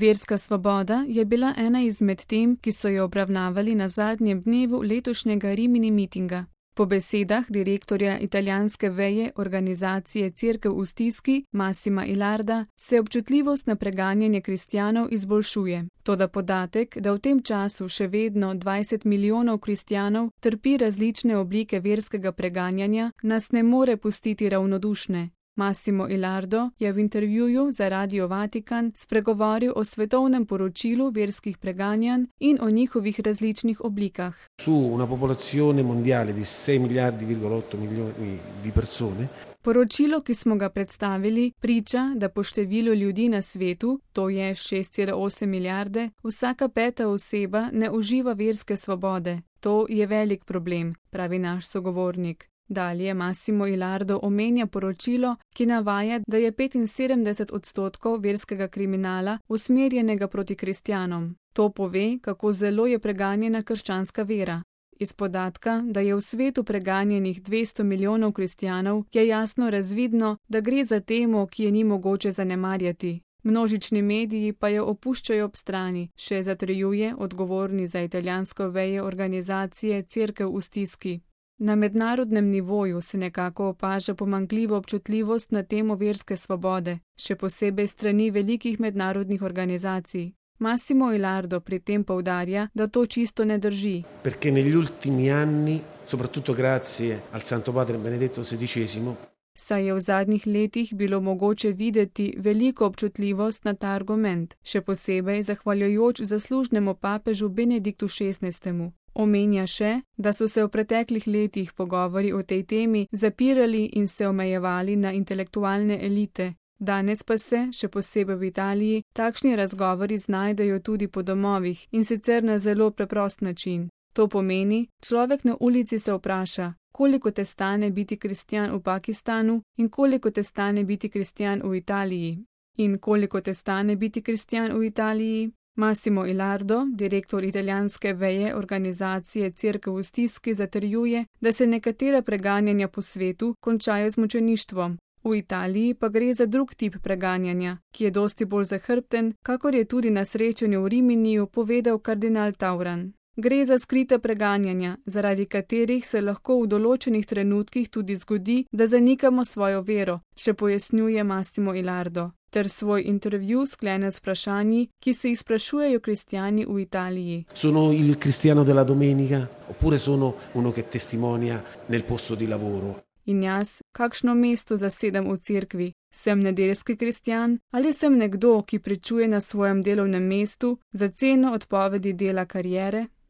Verska svoboda je bila ena izmed tem, ki so jo obravnavali na zadnjem dnevu letošnjega Rimini mitinga. Po besedah direktorja italijanske veje organizacije Cerkev v stiski Massima Ilarda se občutljivost na preganjanje kristjanov izboljšuje. Toda podatek, da v tem času še vedno 20 milijonov kristjanov trpi različne oblike verskega preganjanja, nas ne more pustiti ravnodušne. Massimo Ilardo je v intervjuju za Radio Vatikan spregovoril o svetovnem poročilu verskih preganjanj in o njihovih različnih oblikah. Su una popolazione mondiale di 6,8 miliardi di persone. Poročilo, ki smo ga predstavili, priča, da po številu ljudi na svetu, to je 6,8 milijarde, vsaka 5. oseba ne uživa verske svobode. To je velik problem, pravi naš sogovornik. Dalje Massimo Ilardo omenja poročilo, ki navaja, da je 75% verskega kriminala usmerjenega proti kristjanom. To pove, kako zelo je preganjena krščanska vera. Iz podatka, da je v svetu preganjenih 200 milijonov kristjanov, je jasno razvidno, da gre za temo, ki je ni mogoče zanemarjati. Množični mediji pa jo opuščajo ob strani, še zatrjuje odgovorni za italijansko veje organizacije Cerkev v stiski. Na mednarodnem nivoju se nekako opaža pomanjkljivo občutljivost na temo verske svobode, še posebej strani velikih mednarodnih organizacij. Massimo Ilardo pri tem poudarja, da to čisto ne drži. Perché negli ultimi anni, soprattutto grazie al Santo Padre Benedetto XVI, saj je v zadnjih letih bilo mogoče videti veliko občutljivost na ta argument, še posebej zahvaljujoč zaslužnemu papežu Benediktu XVI. Omenja še, da so se v preteklih letih pogovori o tej temi zapirali in se omejevali na intelektualne elite. Danes pa se, še posebej v Italiji, takšni razgovori znajdejo tudi po domovih in sicer na zelo preprost način. To pomeni, človek na ulici se vpraša, koliko te stane biti kristjan v Pakistanu in koliko te stane biti kristjan v Italiji. In koliko te stane biti kristjan v Italiji? Massimo Ilardo, direktor italijanske veje organizacije Cerkev v stiski, zatrjuje, da se nekatera preganjanja po svetu končajo z mučeništvom. V Italiji pa gre za drug tip preganjanja, ki je dosti bolj zahrbten, kakor je tudi na srečanju v Riminiju povedal kardinal Tauran. Gre za skrita preganjanja, zaradi katerih se lahko v določenih trenutkih tudi zgodi, da zanikamo svojo vero, še pojasnjuje Massimo Ilardo, ter svoj intervju sklene z vprašanji, ki se jih sprašujejo kristjani v Italiji. Sono il cristiano della domenica, oppure sono uno che testimonia nel posto di lavoro. In jaz, kakšno mesto zasedam v cerkvi? Sem nedeljski kristjan ali sem nekdo, ki pričuje na svojem delovnem mestu za ceno odpovedi dela kariere?